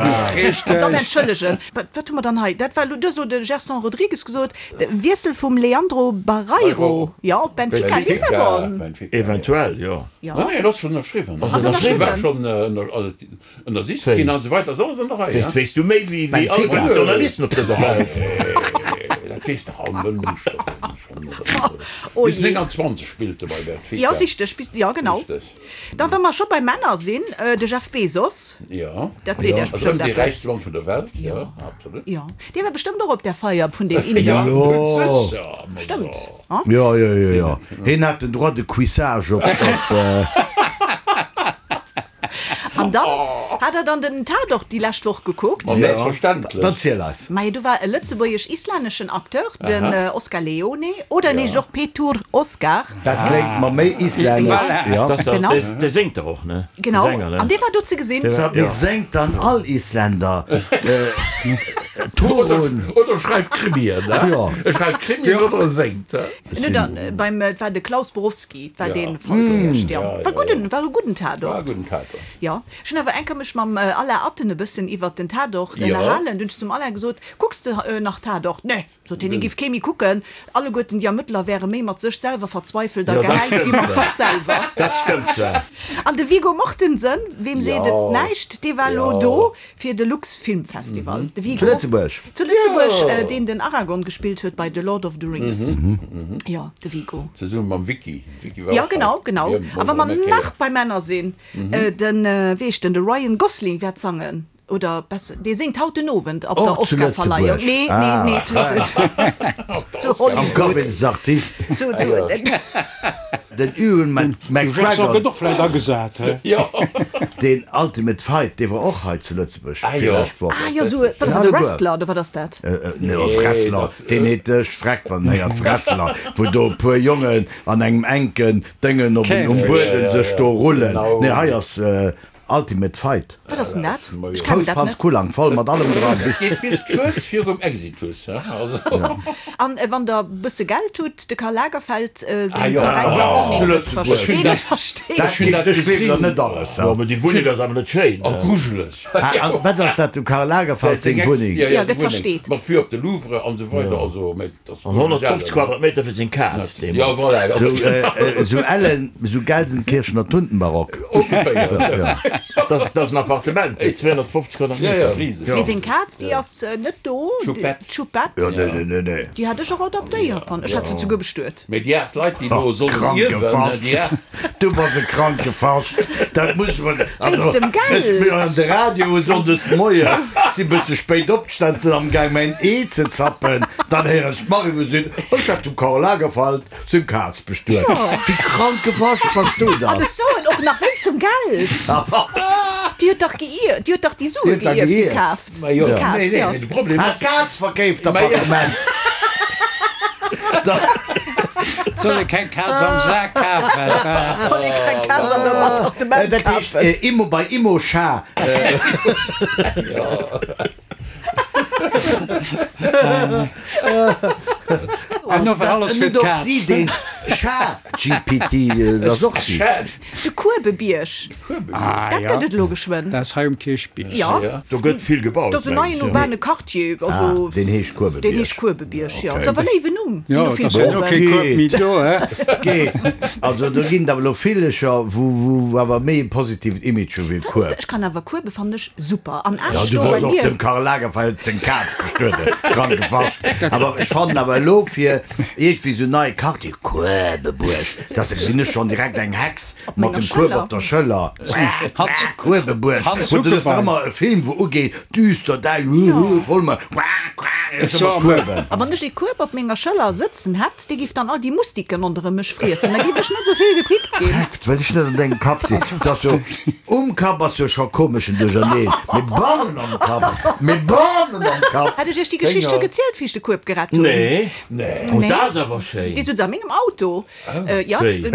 An dann entschëllegen. Wat, wat hu mer dann hei? Dat war lo, du hues lo de Gerson Rodrigues gesot, de Wiessel vum Leandro Barreiro, ja, op Benfica Lissabon. Benfica, Eventuell, jo. Ja. Nee, nee, dat ass schonn ënnerschriwwen. Ass Ass ënnerschriwwen? War schonn ënnersicht Wéi? ginn an esou weider. Ass alles an der Rei, Weess, ja? weess du méi wéi, wéi Benfica. all déi Journalisten op dëser Welt? Nee, dat weess dach all Mënsch. Oh Bis je. neunundzwanzeg spillt e bei Benfica. Ja, richteg, bis, ja, genau. Richteg. Dann, wa mer scho bei Männer sinn, äh, de Jeff Bezos. Ja. Dat seet Iech Also bestëmmt déi eppes. räichste Mann vun der Welt, ja, absolut. Ja. Dee war bestëmmt och op der Feier vun den Inder. Ja, Jo. sicher, ma Stëmmt. so. Ha? Ja, ja, ja, ja. Hien hat den Droit de cuissage op, op äh, An dann hat er dann den Tatort déi lescht Woch gekuckt. Ma selbstverständlech. Dann ziel eis. Mei, do war e lëtzebuergesch-islänneschen Acteur, den äh, Oscar Leone, oder nee, och Petur Oscar. Dat kléngt mer méi islännesch. Voilà. Ja. Das, Genau. der, der séngt der och, ne? Genau. Der Sänger, ne? An dee war do ze gesinn. Der war- Sag, mir Ja. séngt dann all Isländer. Äh, Torun. Oder, oder schreift Krimien, ne? Ja. Er schreift Krimien oder er séngt, ne? Ne, dann, äh, beim, äh, war de Klaus Borowski, war Ja. den Fall gewiescht, ja. Ja, War ja, gudden, war e gudden War Tatort. gudden Tatort. Ja. Ech hunn awer eng Kéier mech mam äh, Alain Atten e bëssen iwwert den Tatort Ja. ënnerhalen. Dunn hunn ech zum Alain gesot, kucks de äh, nach Tatort? Nee, sot hien, ich giff kee méi kucken. Alleguerten déi Ermëttler wäre méi mat sech selwer verzweifelt a Ja, dat gehäit wéi stëmmt mam zwar. Fach selwer. Dat stëmmt zwar. An de Viggo Mortensen, weem seet Ja. et näischt, dee war lo Ja. do fir de Lux Filmfestival. De Viggo. Zu Lëtzebuerg. Zu Lëtzebuerg, Ja. äh, deen den Aragorn gespillt huet bei The Lord of the Rings. Ja, de Viggo. Zesumme mam Vicky. Vicky war Ja, och genau, hei. genau. Ja, A wa mer Bonne nach bei Männer sinn, äh, den, äh, wéi heescht den, de Ryan Gosling wäert sangen. Oder besser, dee singt haut den Owend op der Och zu Oscarverleihung. Lëtzebuerg. Nee, Ah. nee, nee, zu, zu, zu Am Hollywood. Gavins Artist. Zu, zu, Den Ewan McGregor gëtt och vläicht agesat, he? Jo. Deen Ultimate Fight, dee war och hei zu Lëtzebuerg Ah jo. virlescht Woch. Ah jo, sou, wat ass dat, e Wrestler oder wat ass dat? Nee, e Wrestler, deen heet ech freckt wann en héiert Wrestler, wou do e puer Jongen an engem enken Déngen op um Buedem sech do rullen. Nee, hei ass Ultimate Fight. Wat ass denn dat? Ech kennen dat Fousspanz net. Kulang, voll mat allem dran. Et geet bis kuerz virum Exitus, he? Also. An wann der bësse Geld hutt, de Karl Lagerfeld seng Ah jo, Paräisser och zu Wunneng Lëtzebuerg. versteet. Dat Versteet. geet, ech gleewen der net alles. Jo, mee déi Wunneng ass awer net schéin. Oh, grujeleg. Ah, an wat ass dat, dem Karl Lagerfeld seng Wunneng? Ja, Ja, seng gëtt Wunneng. versteet. Mat Vue op de Louvre an esou weider. Also, mee dat ass An honnertfofzeg Quadratmeter fir seng Kaz, dee Ja, Mann. voilà, ganz Sou, sou Ellen, sou Gelsenkirchener Tuntenbarock. ongeféier. Ja. Dat ass en Appartement fir zweehonnertfofzeg Ja, ja, Quadratmeter. riseg. Mee seng Kaz, déi ass net do. D'Choupette. D'Choupette. Ja, nee, nee, nee, nee. Déi hat ech och adoptéiert, wann ech hat se souguer bestuet. Mee déi aacht Leit, déi elo sollen Kranke ierwen, Fascht. déi aacht. Du bass e kranke Fascht. Dat muss man. Also, Wéinst dem Geld. Ech mir an de Radio sonndes moies, si bësse spéit opgestan, sinn am Gaang mäin Ee ze zappen, dann héieren ech d'Marie wou seet, ech hätt dem Karl Lagerfeld seng Kaz bestuet. Wéi kranke Fascht bass du An dann? ech soen och nach wéinst dem Geld. Déi huet dach geierft, déi huet dach déi Déi Sue huet dach geierft, déi geierft. kaaft. Ma jo, Déi Kaz, nee, nee, jo. mee de Problem Ah, ass. d'Kaz verkeeft Appartement. Soll ee keng Kaz am Sak kafen? Soll ee keng Kaz an dem Appartement Dat heescht kafen? Immo bei Immoscha. An no war alles fir Net och d'Kaz. si deen Chat-G P T, dat ass och si. Chat. De Kuebebierg, Ah, dat ja. gëtt et elo geschwënn. Dat ass hei um Kierchbierg. Ja. Ja. Do gëtt vill gebaut, Dat ass en meng neien ech. urbane Quartier, also Ah, deen heescht Kuebebierg. Deen heescht Kuebebierg, jo. Dat ass awer e léiwen Numm. Sinn Jo, do vill dat ass jo Kueben. kee Kueb méi do, hä? Gee, also do ginn et awer elo villecher, wou, wou awer méi e positiven Image hu wéi Fënns de? Kueb. Ech kann awer Kuebe fannen ech super. An Ja, Esch du do bei wolls och mir. dem Karl Lagerfeld seng Kaz bestueden, kranke Fascht. Awer ech fannen awer elo fir iergendwéi sou neie Quartier, Kuebebuerg, dass gesinn ech schonn direkt eng Hex mat menger dem Kueb Schëller. op der Schëller. Kuebebuerg. Hans Wou du ass dach Huckebein. ëmmer e Film, wou ugeet, düster, däi, voll mat Kueben. A wann ech ee Kueb op menger Schëller sëtzen hätt, dee giff dann all déi Mustiken ronderëm mech friessen. Da giff ech net sou vill gepickt ginn. Freckt, well ech net an dengem Kapp sinn. Dat ass jo, um Kapp ass jo scho komeschen Duercherneen, mee bannen am Kapp, mee bannen am Kapp. Hat ech iech déi Geschicht scho gezielt, wéi ech de Kueb gerett hunn? Nee. Nee. Oh, dat ass awer schéin. Déi sutz a mengem Auto. Jo, Wéi? du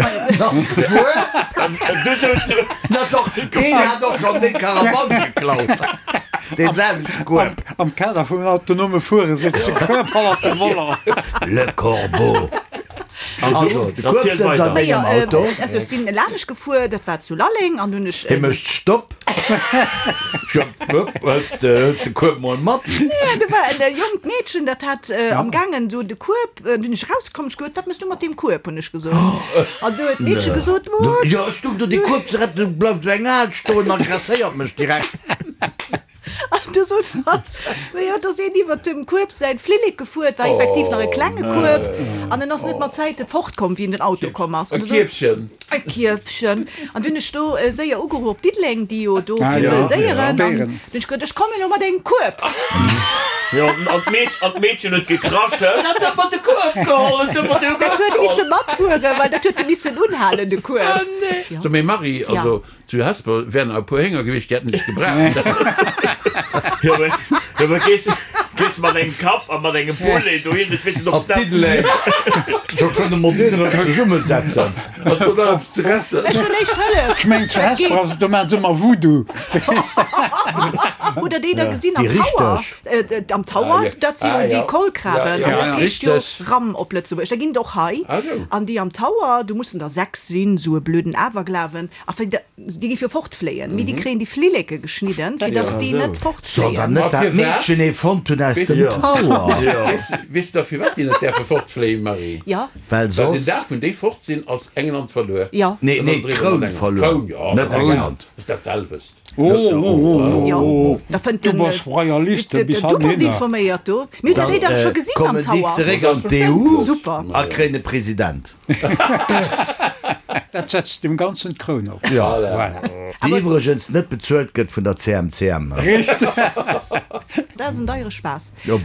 Du souz Dat ass och, deen hat och schonn deng Karawann geklaut. Dee selwechte Kueb. Am Kader vum autonome Fuere sëtzt de Kueb hannert dem Volant. Le Corbeau. Also, de Kueb Erziel sëtzt an weider. mengem Majo, Auto. also ech sinn lanescht gefuer, dat war zu Lalleng, an hunn ech. Hie mécht Stopp. Hëls de Kueb mol mat? Nee, do war en jonkt Meedchen, dat hat am gaangen do de Kueb, du hunn ech rauskomm, ech gesot, wat mëss du mat deem Kueb, hunn ech gesot. An du huet d'Meedche gesot, Mut. Jo, ech stung do dee Kueb ze retten, du bleift esou eng Al stoen an agresséiert mech direkt. An du sot hatt, Ma jo, et ass een iwwert dem Kueb säin Flillek gefuer, et war effektiv nach e klenge Kueb, an en ass net mat Zäite fortkomm, wéi en den Auto komm ass. E An du sot, Kierfchen. E Kierfchen. An du hunn ech do séier ugeruff op Diddeleng, déi jo do Ah, fir ja, wëll Déieren, ja, an Déieren. du hunn ech gesot, ech kommen elo mat engem Kueb. Jo, an d'Meedchen, an d'Meedchen huet gekrasch, En hat ëmmer de Kueb geholl, en huet ëmmer de Kueb Dat huet geholl. misse matfueren, well dat huet e missen unhalen, de Kueb. Ja. So, mee Marie, also zu Hesper wären e puer Hénger gewiescht, déi hätten dech gebraucht. Jo, mee, jo, mee gees, gees mat engem Kapp a mat engem Poulet dohin, dat weess de Op och dat. Diddeleng. Scho kënne mer deen erëm zesummesetzen. Ass do nach eppes ze retten? Ech hunn éischt Hëllef. Ech mengen, zu Dat Hesper geet. ass et, do maachen se ëmmer Voodoo. Hutt Der déi da gesinn am Déi Tower? richteg. Äh, am Tower, Ah, ja. dat si jo Ah, déi ja. Kolkraben. Ja, An ja, dat ja. heescht jo Richteg. Ram op Lëtzebuergesch. Da ginn et och hei. Ah, sou. An déi am Tower, do mussen der sechs sinn, sou e blöden Awerglawen. A fir da, déi gi fir fortfléien. Mee déi kréien déi Flilleke geschnidden, fir dass déi net Soll dann fortfléien. net Ma dat firwat? Meedchen ee fonnt hunn aus Weess dem du- Tower? Weess, weess der firwat déi net däerfe fortfléien, Marie? Ja. Well Well den soss. Dag, wou déi fort sinn, ass England verluer. Ja. Nee, Dann nee, ass et eriwwer d'Kroun mat England. verluer. D'Kroun, ja, Net Kroun. England. Ass dat selwecht. Oh, oh, oh, oh, Jo, oh. da fënnt Du den, bass Royaliste de, de, bis du bass hanhinner. informéiert do. Mir hunn dat Dann déi dann scho äh, gesinn am kommen déi Tower. zeréck an d'E U Super. a kréien e President. Dat setzt dem Ganzen d'Kroun op. Ja. Voilà. Déi iwwregens net bezuelt gëtt vun der C M C M. Richteg. Dat ass en deiere Spaass. Jo,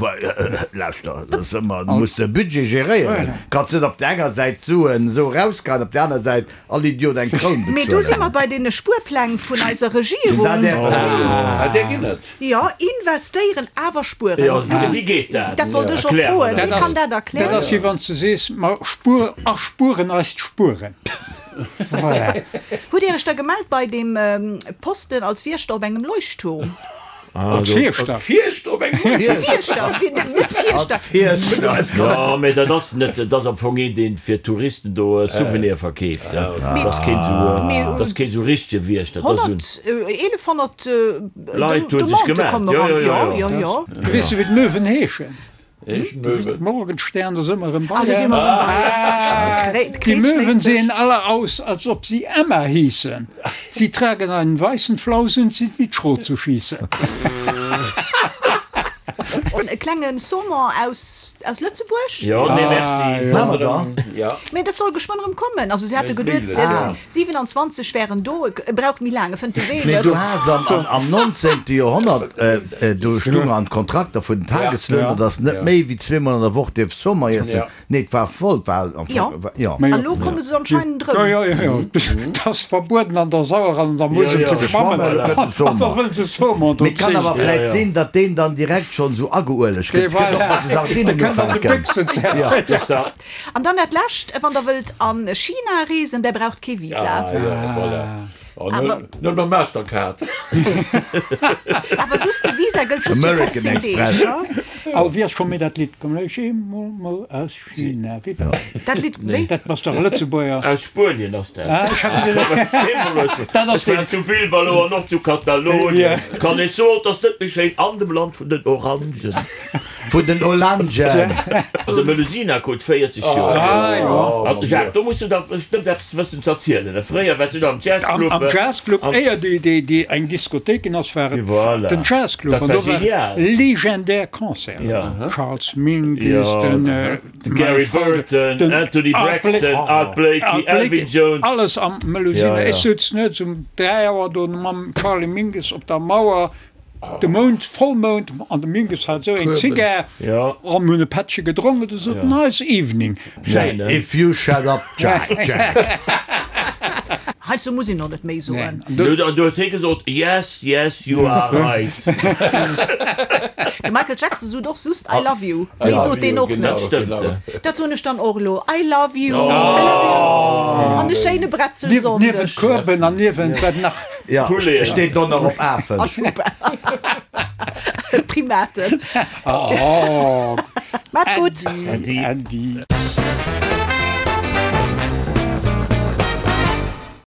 lauschter, dat ass ëmmer, du muss de Budget geréieren. Kanns net op der enger Säit d'Suen esou erausgeien, op der aner Säit all Idiot eng Kroun Mee do si bezuelen. mer bei deene Spuerpläng vun eiser Sinn Regierung. dat Är Pläng? Ah, där ginn et. Jo, investéieren, awer spueren. Jo, wéi geet dat? Dat wollt ech och Erklär mer froen. dat. Wie kann dat Dat erklären? ass wéi wann s de sees, mer spuer, erspueren eis d'Spueren. Voilà. Hutt Dir Iech da gemellt bei deem Posten als Wiechter op engem Leuchtturm? Als Fierschter. Fierschter op engem Fierschter, net Fierschter. Fierschter. Jo, mee dat ass net, dat ass am Fong een, deen fir Touristen do Souvenire verkeeft. Dat ass keen esou, dat ass keen esou richtege Wiechter. Dat ass esou en. Honnerteelefhonnert Leit hu sech Demandë gemellt. kommen Jo, eran. jo, jo, Jo, jo. jo, jo. Weess de, wéi d'Möwen heeschen? Heeschen Möwen. Morgenstern, da si mer erëm Ah, bei. do si mer erëm bei. Die Möwen sehen alle aus, als ob sie Emma hießen. Sie tragen einen weißen Flaus und sind mit Schrot zu schießen. E klengen Saumon aus, aus Lëtzebuerg. Jo, nee, merci. Maache mer da. Ja. Mee dat soll geschwënn erëm kommen. Also si hate geduet, Ah. siwenanzwanzeg wären do. E braucht méi laang, e fënnt de Wee Nee, net. du has am, am, am neunzehnten. Joerhonnert, äh, äh, do stung an Kontrakter vun den Tageslöhner, Ja. dass net Ja. méi wéi zweemol an der Woch dierf Saumon iessen. Ja. Nee, et war voll, war am Ja. Fong, war, ja. Mä A lo komme se anscheinend Ja, erëm. ja, ja, ja. Dat ass verbueden an der Sauer an der Musel Ja, ja. ze schwammen. Schwammen, da gëtt de Saumon. Da wëll se Saumon do Mee kann awer zéien. vläit Ja, ja. sinn, datt deen dann direkt schonn esou ageuelegt gëtt. Voilà. Kënnt och mat de Sardinen Da kënnt an de ufänken. Büchsen ze- Ja. Das da. An dann dat Lescht, wann der wëllt an China reesen, der braucht kee Visa. Ah, ja, voilà. Oh, Awer- Nëmme mam Mastercard. Awer just de Visa gëllt just fir American fofzéng Deeg. Express. Ja? Al wéi ass scho méi dat Lidd? Komm ech eemol mol aus China. Wéi war dat? Dat Lidd, wéi? Dat ass dach e Lëtzebuerger. Aus Spuenien ass dat. Ah, ech hat gesinn. Dat ass Ech war den- zu Bilbao an och zu Katalonien. Ja. Kann ech soen, dass net méi schéin an dem Land vun den Orangen. Vun den Olangen. An de Melusina krut véierzeg Joer. Ah, jo. An Jacques, do muss du da bestëmmt eppes wëssen ze erzielen. Fréier wars du da am Jazzclub. Am, am Jazzclub, Am- éier déi, déi, déi eng Diskothéik ginn ass, war et Voilà. den Jazzclub. Dat An war do war genial. legendär Concerten. Ja. Charles Mingus, Ja, den, äh, Gary mein Freund, Burton, den Anthony Art Blakey. Braxton, Art Blakey, Art Elvin Blakey, Jones. Alles am Melusina. Ja, ja. Ech souz nuets um dräi Auer do mam Charlie Mingus op der Mauer. De Mound, Vollmound, an de Mingus hat esou eng Zigar Ja. an hunn e Pättche gedronk, et ass nice evening. Schéin, ne? If you shut up, Jack, Jack. Heizou muss een och net méi soen. Du, du huet hie gesot, Yes, yes, you are right. De Michael Jackson sot och just I love you. Méi sot deen och net. Dat stëmmt. Dat soen ech dann och elo, I love you, I love you. An e schéine Bretzelsonndeg. Niewent Kueben an niewent wat nach. Ja, Poulet. steet do nach op Afen. A Schuppe. Primaten. Oh, Maat gutt. Äddi. Äddi.